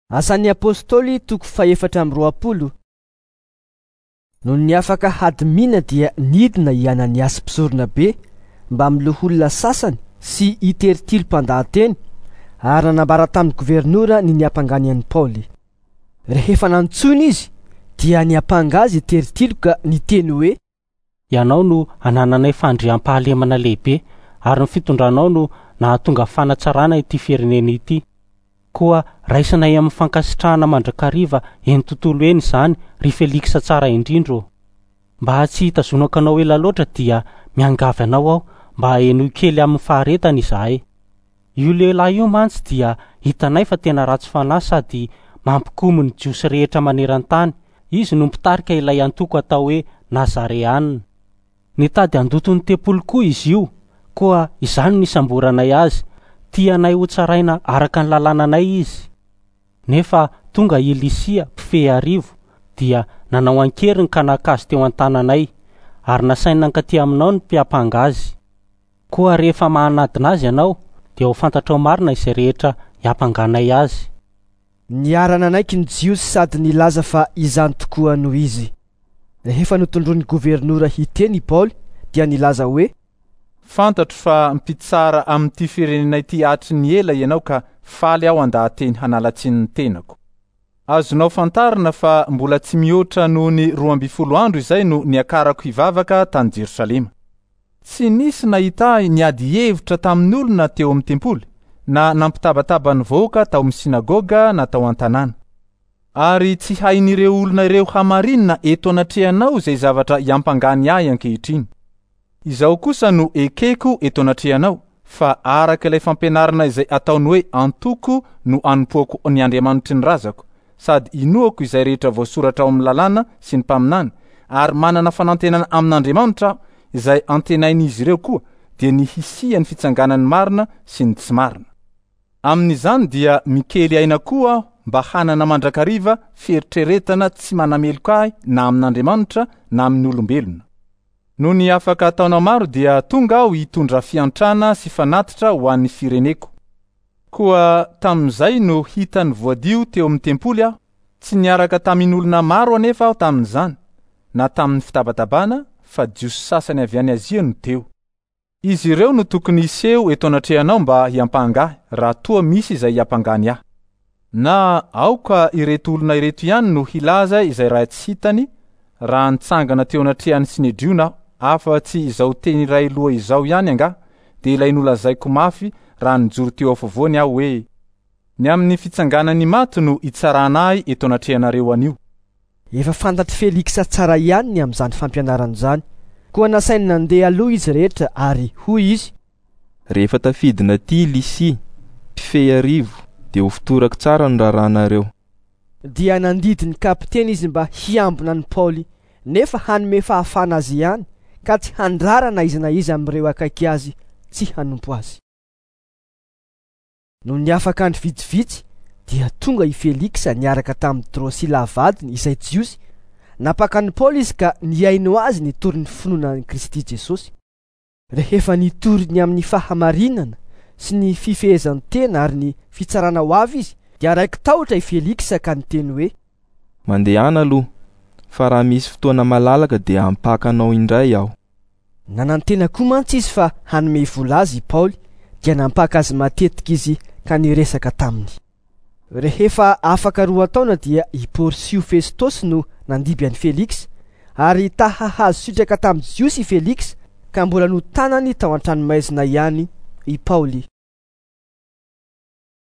Asan'ny Apostoly toko faha-24. Nony afaka hadimiana dia nidina i Ananiasy mpisoronabe mbamin'ny loholona sasany sy i Tertilo mpandahateny ary nanambara tamin'ny governora ny niampangany an'i Paoly. Rehefa nantsoina izy dia niampanga azy i Tertilo ka niteny hoe: Ianao no anananay fandriampahalemana lehibe ary ny fitondranao no nahatonga fanatsarana ity firenena ity. Koa raisinay amin'ny fankasitrahana mandrakariva eny tontolo eny izany, ry Feliksa tsara indrindra ô. Mba tsy hitazonako anao ela loatra dia miangavy anao aho mba henoy kely amin'ny faharetana izahay. Io lehilahy io mantsy dia hitanay fa tena ratsy fanahy sady mampikomy ny Jiosy rehetra maneran-tany. Izy no mpitarika ilay antoko atao hoe Nazareana. Nitady handoto ny tempoly koa izy io, koa izany no nisamboranay azy. Tianay hotsaraina araka ny lalànanay izy. Nefa tonga i Lysia, mpifehy arivo, dia nanao an-keriny ka naka azy teo an-tananay, ary nasainy nankaty aminao ny mpiampanga azy. Koa rehefa mahanadina azy ianao, dia ho fantatrao marina izay rehetra hiampanganay azy. Niara-nanaiky ny Jiosy sady nilaza fa izany tokoa no izy. Rehefa notondroin'ny governora hiteny i Paoly, dia nilaza hoe: Fantatro fa mpitsara amin'ity firenena ity hatry ny ela ianao ka faly aho handaha-teny hanala tsiny ny tenako. Azonao fantarina fa mbola tsy mihoatra noho ny 12 andro izay no niakarako hivavaka tany Jerosalema. Tsy nisy nahita ahy niady hevitra tamin'olona teo amin'ny tempoly, na nampitabataba ny vahoaka tao amin'ny synagoga na tao an-tanàna. Ary tsy hain'ireo olona ireo hamarinina eto anatrehanao izay zavatra iampangany ahy ankehitriny. Izao kosa no ekeko eto anatrehanao, fa araka ilay fampianarana izay ataony hoe antoko no anompoako ny Andriamanitry ny razako, sady inoako izay rehetra voasoratra ao amin'ny lalàna sy ny mpaminany, ary manana fanantenana amin'Andriamanitra aho, izay antenain'izy ireo koa, dia ny hisian'ny fitsanganan'ny marina sy ny tsy marina. Amin'izany dia mikely aina koa aho mba hanana mandrakariva fieritreretana tsy manameloka ahy na amin'Andriamanitra na amin'ny olombelona. Nony afaka taona maro dia tonga aho hitondra fiantrana sy fanatitra ho an'ny fireneko. Koa tamin'izay no hitany voadio teo amin'ny tempoly aho, tsy niaraka tamin'olona maro anefa aho tamin'izany, na tamin'ny fitabatabana, fa Jiosy sasany avy any Azia no teo. Izy ireo no tokony hiseho eto anatrehanao mba hiampanga ahy, raha toa misy izay hiampangany ahy. Na aoka ireto olona ireto ihany no hilaza izay raha tsy hitany, raha nitsangana teo anatrehan'ny Synedriona aho, afa-tsy izao teny iray loha izao ihany angaha, dia ilay nolazaiko mafy raha nijoro teo afovoany aho hoe, Ny amin'ny fitsanganan'ny maty no itsarana ahy eto anatrehanareo anio. Efa fantatr'i Feliksa tsara ihany ny amin'izany fampianarana izany, koa nasainy nandeha aloha izy rehetra ary hoy izy: Rehefa tafidina aty i Lysia, mpifehy arivo, dia hofotorako tsara ny raharahanareo. Dia nandidy ny kapiteny izy mba hiambina an'i Paoly, nefa hanome fahafahana azy ihany, ka tsy handrara na iza na iza amin'ireo akaiky azy tsy hanompo azy. Nony afaka andro vitsivitsy dia tonga i Feliksa niaraka tamin'i Drosila vadiny izay Jiosy. Nampaka an'i Paoly izy ka nihaino azy nitory ny finoana an'i Kristy Jesosy. Rehefa nitory ny amin'ny fahamarinana sy ny fifehezan-tena ary ny fitsarana ho avy izy, dia raiki-tahotra i Feliksa ka niteny hoe: Mandehana aloha, fa raha misy fotoana malalaka dia hampaka anao indray aho. Nanantena koa mantsy izy fa hanome vola azy i Paoly, dia nampaka azy matetika izy ka niresaka taminy. Rehefa afaka 2 taona dia i Porsio Festosy no nandimby an'i Feliksa, ary ta hahazo sitraka tamin'ny Jiosy i Feliksa, ka mbola notanany tao an-tranomaizina ihany i Paoly.